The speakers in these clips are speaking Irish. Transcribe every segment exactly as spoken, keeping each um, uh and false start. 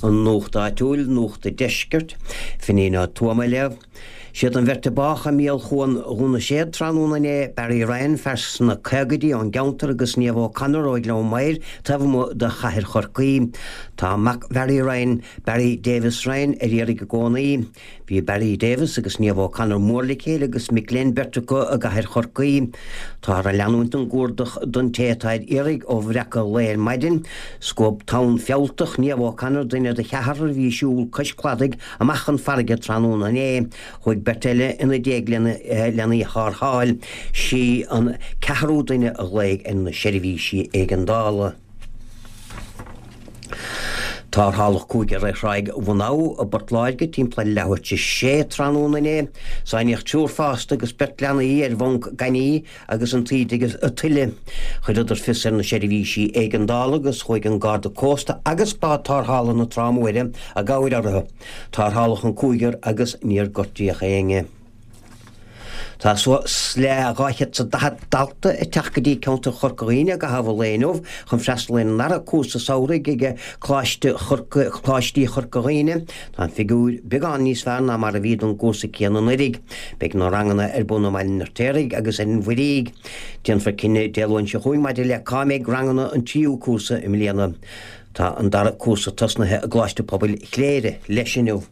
An Nuacht Áitiúil, Nuacht an Deiscirt, Finín Ó Tuama ag léamh. Siad an bheirt a bádh i míolchuan Dhún na Séad tráthnóna inné, Barry Ryan, fear sna caogaidí ón gceantar agus Niamh O'Connor ó Ghleann Maghair, taobh amuigh de chathair Chorcaí. Tá mac Bharry Ryan, Barry Davis Ryan, ar iarraidh i gcónaí. Bhí Barry Davis agus Niamh O'Connor mór le chéile agus mic léinn beirt acu i gcathair Chorcaí. Táthar ag leanúint den gcuardach don té atá ar iarraidh ó bhreacadh lae ar maidin. Scuab tonn fealltach Niamh O'Connor, duine de cheathrar a bhí ag siúl cois cladaigh, amach chun farraige tráthnóna inné. Chuaigh beirt eile ina diaidh lena í tharrtháil. Sí an ceathrú duine a ghlaoigh ar na seirbhísí éigeandála. Tarrtháladh cúigear ar Thráigh Bhun Abha i bPort Láirge timpeall ar leathuair tar éis a sé tráthnóna inné. Sáinníodh triúr fásta agus beirt leanaí ar bhunc gainimh agus an taoide agus an tuile. Chuireadar fios ar na seirbhísí éigeandála agus chuaigh an Garda Cósta agus bád tarrthála na Trá Móire i gcabhair orthu. Tarrtháladh an cúigear agus níor gortaíodh éinne. Tá suas le dhá chéad 's a daichead dalta ag teacht go dtí ceantar Chorca Dhuibhne i gcaitheamh an lae inniu chun freastal ar an ndara cúrsa samhraidh ag Coláiste Chorca, Coláistí Chorca Dhuibhne. Tá an figiúr beagán níos fearr ná mar a bhí don gcúrsa céanna anuraidh. Beidh na ranganna ar bun i mBaile an Fheirtéaraigh agus ar an Mhuirígh. Déanfar cinneadh Dé Luain seo chugainn maidir le cá mbeidh ranganna an tríú cúrsa i mbliana. Tá an dara cúrsa tosnaithe i gColáiste Pobail Chléire leis inniu.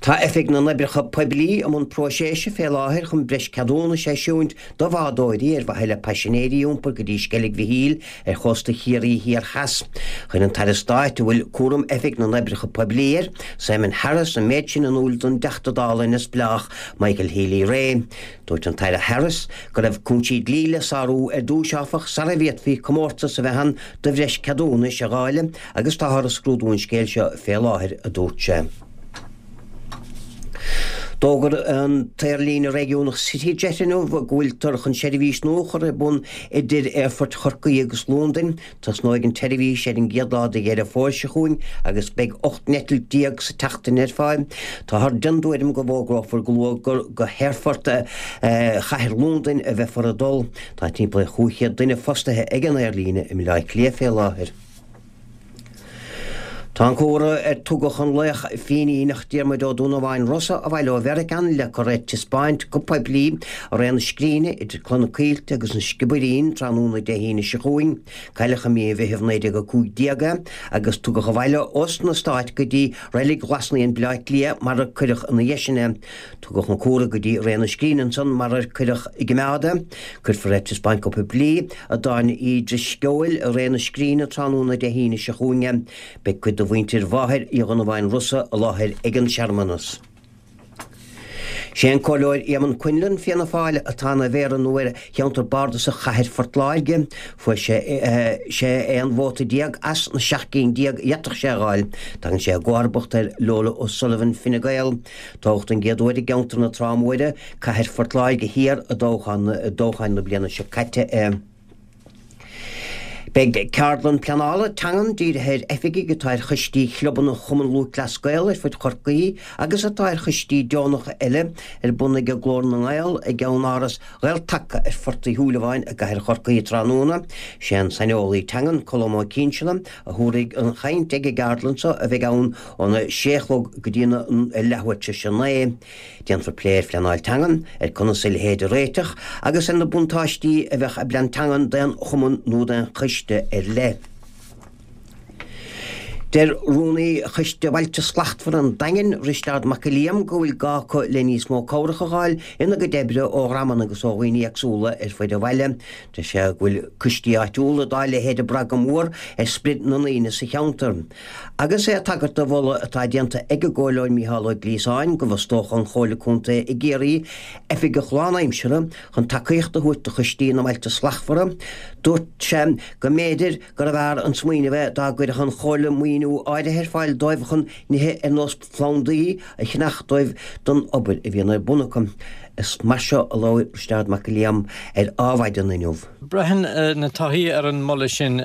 Tá Oifig na nOibreacha Poiblí i mbun próiseas fé láthair chun breis ceadúnais a eisiúint do bhádóirí ar mhaithe le paisinéirí a iompar go dtí Sceilg Mhichíl ar chósta Chiarraí Thiar Theas. Chuir an tAire Stáit a bhfuil cúram Oifig na nOibreacha Poiblí air, Simon Harris, an méid sin in iúl don dTeachta Dála neamhspleách Michael Healy-Rae. Dúirt an tAire Harris go raibh cúinsí dlí le sárú ar dtús áfach sara bhféadfaí comórtas a bheith ann do bhreis ceadúnais a dháileadh agus táthar ag scrúdú an scéil seo fé láthair, a dúirt sé. D'fhógair an t-aerlíne réigiúnach CityJet inniu go bhfuiltear chun seirbhís nua a chur ar bun idir aerfoirt Chorcaí agus Londain. Tosnóidh an tseirbhís ar an gcéad lá de Dheireadh Fómhair seo chugainn agus beidh ocht n-eitilt déag sa tseachtain ar fáil. Táthar den dtuairim go bhfógrófar go luath gur go haerfort chathair Londain a bheifear ag dul. Tá timpeall ar chúig chéad duine fostaithe ag an aerlíne i mBaile Átha Cliath fé láthair. Tá an cumhra ar tugadh an laoch Fíníneach Diarmuid Ó Donnabháin Rosa abhaile ó Mheiriceá le cur ar taispeáint go poiblí i Rae na Scríne idir Cloich na Coillte agus an Sciobairín tráthnóna Dé hAoine seo chugainn. Cailleadh i mí an Mheithimh naoi déag a cúig déag é agus tugadh abhaile ós na Stáit go dtí Reilig Ghlas Naíon Baile Átha Cliath mar ar cuireadh ina dhiaidh sin é. Tugadh an cumhra go dtí Rae na Scríne ansan mar ar cuireadh i gcoimeád é. Cuirfear ar taispeáint go poiblí i dTábhairne Uí Drisceoil i Rae na Scríne tráthnóna Dé hAoine seo chugainn é. Beidh cuid de mhuintir mháthair Uí Dhonnabháin Rosa i láthair ag an searmanas. Sé an Comhairleoir Éamonn Quinlan, Fianna Fáil, atá ina mhéara nua ar cheantar bardasach Chathair Phort Láirge. Fuair sé sé aon vóta déag as na seacht gcinn déag a d'fhéadfadh sé a fháil. Tagann sé i gcomharbacht ar Lola O'Sullivan, Fine Gael. Toghadh don gcéad uair i gceantar na Trá Móire, Cathair Phort Láirge Thiar i dtoghchán na bliana seo caite é. Beidh ceardlann pleanála teangan dírithe ar oifigigh atá ar choistí chlubanna Chumann Lúthchleas Gael ar fud Chorcaí agus atá ar choistí deonacha eile ar bun ag Glór na nGael i gceannáras Ghael-Taca ar Phort Uí Shúilleabháin i gcathair Chorcaí tráthnóna. Sé an saineolaí teangan Colm Ó Cinnseala a thabharfaidh an chaint ag an gceardlann seo a bheidh ann óna sé a chlog go dtí a leathuair tar éis a naoi. Déanfar plé ar phleanáil teangan, ar conas a leithéid a réiteach agus ar na buntáistí a bheadh i bplean teangan d'aon chumann nó d'aon choiste ar leith. Deir Rúnaí Choiste Bhailte Slachtmhara an Daingin, Risteárd Mac Giolla Liam, go bhfuil gá acu le níos mó cabhrach a fháil ina gcuid oibre ó dhreamanna agus ó dhaoine éagsúla ar fud an bhaile. Deir sé go bhfuil coistí áitiúla dá leithéid ag brath go mór ar sprid na ndaoine sa cheantar. Agus é ag tagairt do mholadh atá déanta ag an gComhairleoir Mícheál Ó Gliasáin go bhfostódh an Chomhairle Contae i gCiarraí oifigeach lánaimseartha chun tacaíocht a thabhairt do choistí na mBailte Slachtmhara, dúirt sé go mb'fhéidir gurbh fhearr an smaoineamh é dá gcuirfeadh an Chomhairle maoiniú áirithe ar fáil dóibh chun nithe ar nós plandaí a cheannach dóibh don obair a bhíonn ar bun acu. Is mar seo a labhair Risteárd Mac Giolla Liam ar Adhmhaidin inniu. Braitheann na torthaí ar an moladh sin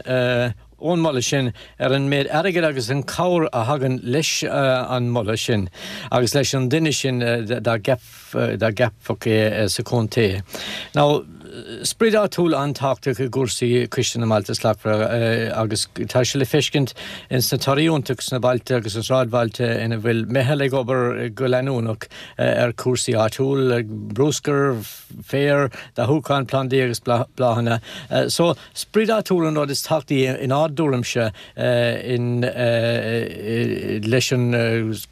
ón moladh sin ar an méid airgid agus an cabhair a thagann leis an moladh sin agus leis an duine sin dá gceapfaí é sa chontae. Now, sprid áitiúil an-tábhachtach i gcúrsaí Coiste na mBailte Slachtmhara agus tá sé le feiscint ins na torthaí iontacha sna bailte agus sa sráidbhailte ina bhfuil meitheal ag obair go leanúnach ar cúrsaí áitiúil, bruscar, féar, dathúchán plandaí agus bláthanna. So sprid áitiúil an rud is tábhachtaí inár dtuairimse in leis an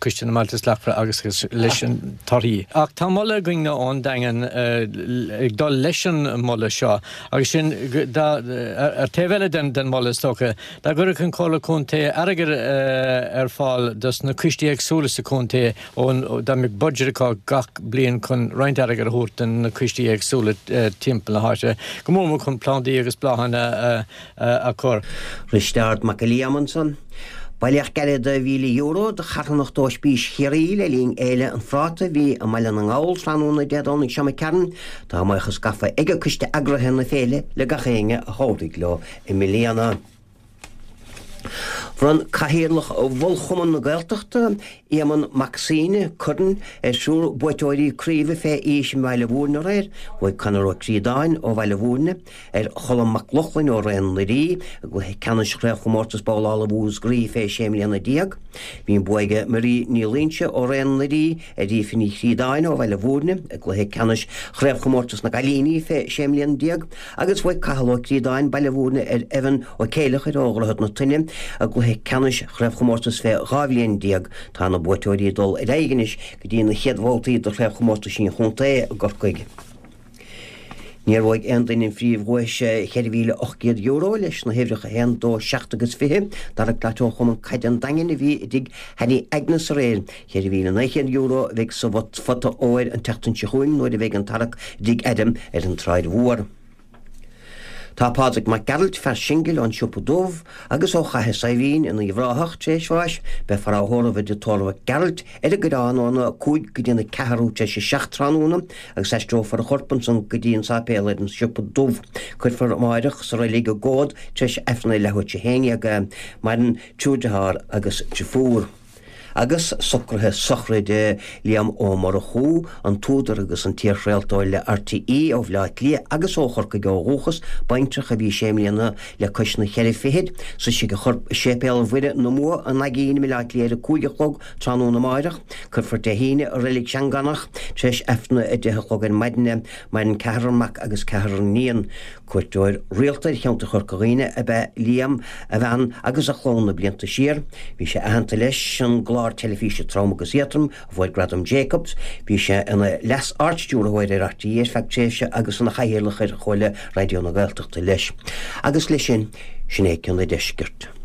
Coiste na mBailte Slachtmhara agus leis an torthaí. Ach tá moladh againne ón Daingean ag dul leis an moladh seo agus sin ar taobh eile den den moladh is dócha dá gcuirfeadh an Comhairle Contae airgead ar fáil dos na coistí éagsúla sa chontae ón dá mbeadh budget acu gach bliain chun roinnt airgead a thabhairt do na coistí éagsúla timpeall na háite, go mór mór chun plandaí agus bláthanna a chur. Risteárd Mac Giolla Liam ansan. Bailíodh gealladh de mhíle euro do charthanacht Ospís Chiarraí le linn Fhéile an Phráta a bhí i mBaile na nGall tráthnóna Dé Domhnaigh seo imigh tharainn. Tá a mbuíochas gafa ag coiste eagraithe na féile le gach éinne a chabhraigh leo i mbliana. Bhronn Cathaoirleach Bhunchumann na Gaeltachta, Éamonn Mac Suibhne, corn ar thriúr buaiteoirí craoibhe fé aois i mBaile Bhúirne aréir, bhuaigh Conor Ó Críodáin ó Bhaile Bhúirne ar Cholm Mac Lochlainn ó Raon na Rí i gcluiche ceannais chraobhchomórtas babhlála Mhúscraí fé sé mbliana déag. Bhí an bua ag Marie Ní Loingsigh ó Raon na Rí ar Aoife Ní Chríodáin ó Bhaile Bhúirne i gcluiche ceannais chraobhchomórtas na gcailíní fé sé mbliana déag agus bhuaigh Cathal Ó Críodáin, Baile Bhúirne ar Evan Ó Céileachair ó Dhroichead na Toinne i gcluiche ceannais chraobhchomórtas fé dhá bhliain déag. Tá na buaiteoirí ag dul ar aghaidh anois go dtí na chéad bhabhtaí de chraobhchomórtais an chontae i gCorcaigh. Níor bhuaigh aon duine an phríomhdhuais cheithre mhíle ocht gcéad euro leis na huimhreacha a haon, dó, seacht agus fiche. Darragh Glatt ó Chumann Caide an Daingin a bhí i dtigh Hanny Agnes aréir. Cheithre mhíle naoi gcéad euro a bheidh sa phota óir an tseachtain seo chugainn nuair a bheidh an tarrac i dtigh Adam ar an tSráid Mhór. Tá Pádraig Mac Gearailt, fear singil ón Siopa Dubh agus ó Chathair Saidhbhín in Uíbh Ráthach tar éis bháis, beifear á thórramh i dtigh tórraimh Mhic Gearailt ar an gCoireán óna cúig go dtí na ceathrú tar éis a seacht tráthnóna agus aistreofar a chorp ansan go dtí an sáipéal ar an Siopa Dubh. Cuirfear amáireach sa reilig i gComhad tar éis Aifreann a leathuair tar éis a haon déag é. Maireann triúr dearthár agus driofúr. Agus socruithe sochraide Liam Ó Murchú, an t-údar agus an t-iarchraoltóir le RTÉ ó Bhaile Átha Cliath agus ó Chorcaigh ó dhúchas, baintreach a bhí sé mbliana le cois na ceithre fichid, suífidh a chorp i Séipéal Mhuire na mBua an Naigín i mBaile Átha Cliath ar a cúig a chlog tráthnóna amáireach. Cuirfear Dé hAoine i Reilig Sheangánach tar éis Aifreann a deich a chlog ar maidin é. Maireann ceathrar mac agus ceathrar iníon. Cuairteoir rialta ar cheantar Chorca Dhuibhne ab ea Liam, a bhean agus a chlann na blianta siar. Bhí sé aitheanta leis an gclár teilifíse Trom agus Éadrom, a fuair Gradam Jacobs. Bhí sé ina Leas-Ardstiúrthóir ar RTÉ ar feadh tréimhse agus ina chathaoirleach ar Chomhairle Raidió na Gaeltachta leis. Agus leis sin, sin é Ceann an Deiscirt.